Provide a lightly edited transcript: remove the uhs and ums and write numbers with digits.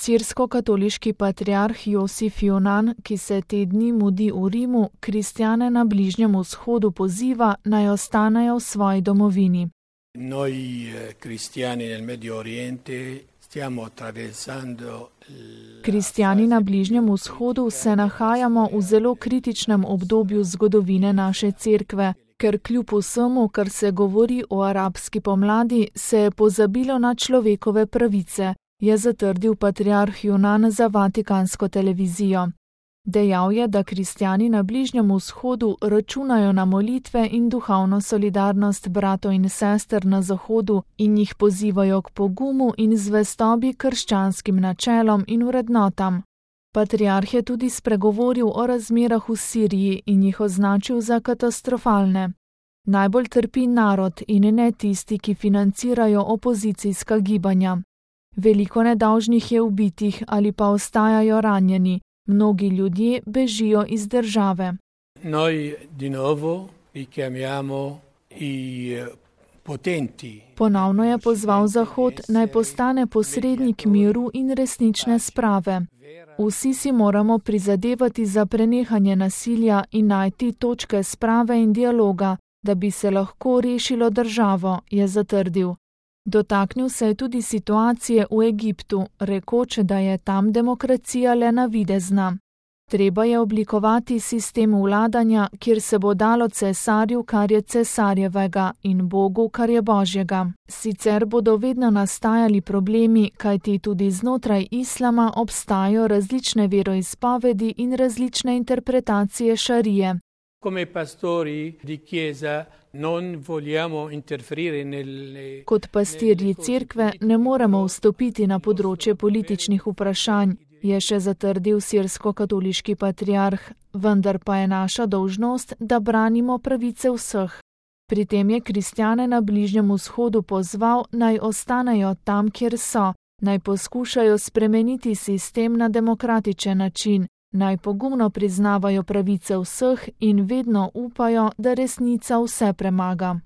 Sirsko-katoliški patriarh Josif Jonan, ki se te dni mudi v Rimu, kristjane na Bližnjem vzhodu poziva, naj ostanejo v svoji domovini. Noi cristiani nel Medio Oriente stiamo attraversando. Kristjani na Bližnjem vzhodu se nahajamo v zelo kritičnem obdobju zgodovine naše cerkve, ker kljub vsemu, kar se govori o arabski pomladi, se je pozabilo na človekove pravice, je zatrdil patriarh Jonan za Vatikansko televizijo. Dejal je, da kristjani na Bližnjem vzhodu računajo na molitve in duhovno solidarnost bratov in sester na Zahodu in jih pozivajo k pogumu in zvestobi krščanskim načelom in vrednotam. Patriarh je tudi spregovoril o razmerah v Siriji in jih označil za katastrofalne. Najbolj trpi narod in ne tisti, ki financirajo opozicijska gibanja. Veliko nedolžnih je ubitih ali pa ostajajo ranjeni. Mnogi ljudje bežijo iz države. Noi di nuovo richiamiamo i potenti. Ponovno je pozval Zahod, naj postane posrednik miru in resnične sprave. Vsi si moramo prizadevati za prenehanje nasilja in najti točke sprave in dialoga, da bi se lahko rešilo državo, je zatrdil. Dotaknil se je tudi situacije v Egiptu, rekoč, da je tam demokracija le navidezna. Treba je oblikovati sistem vladanja, kjer se bo dalo cesarju, kar je cesarjevega, in Bogu, kar je Božjega. Sicer bodo vedno nastajali problemi, kajti tudi znotraj islama obstajajo različne veroizpovedi in različne interpretacije šarije. Come pastori di chiesa non vogliamo interferire nelle. Kot pastirji cerkve ne moremo vstopiti na področje političnih vprašanj, je še zatrdil sirsko-katoliški patriarh, vendar pa je naša dolžnost, da branimo pravice vseh. Pri tem je kristjane na Bližnjem vzhodu pozval, naj ostanejo tam, kjer so, naj poskušajo spremeniti sistem na demokratičen način, naj pogumno priznavajo pravice vseh in vedno upajo, da resnica vse premaga.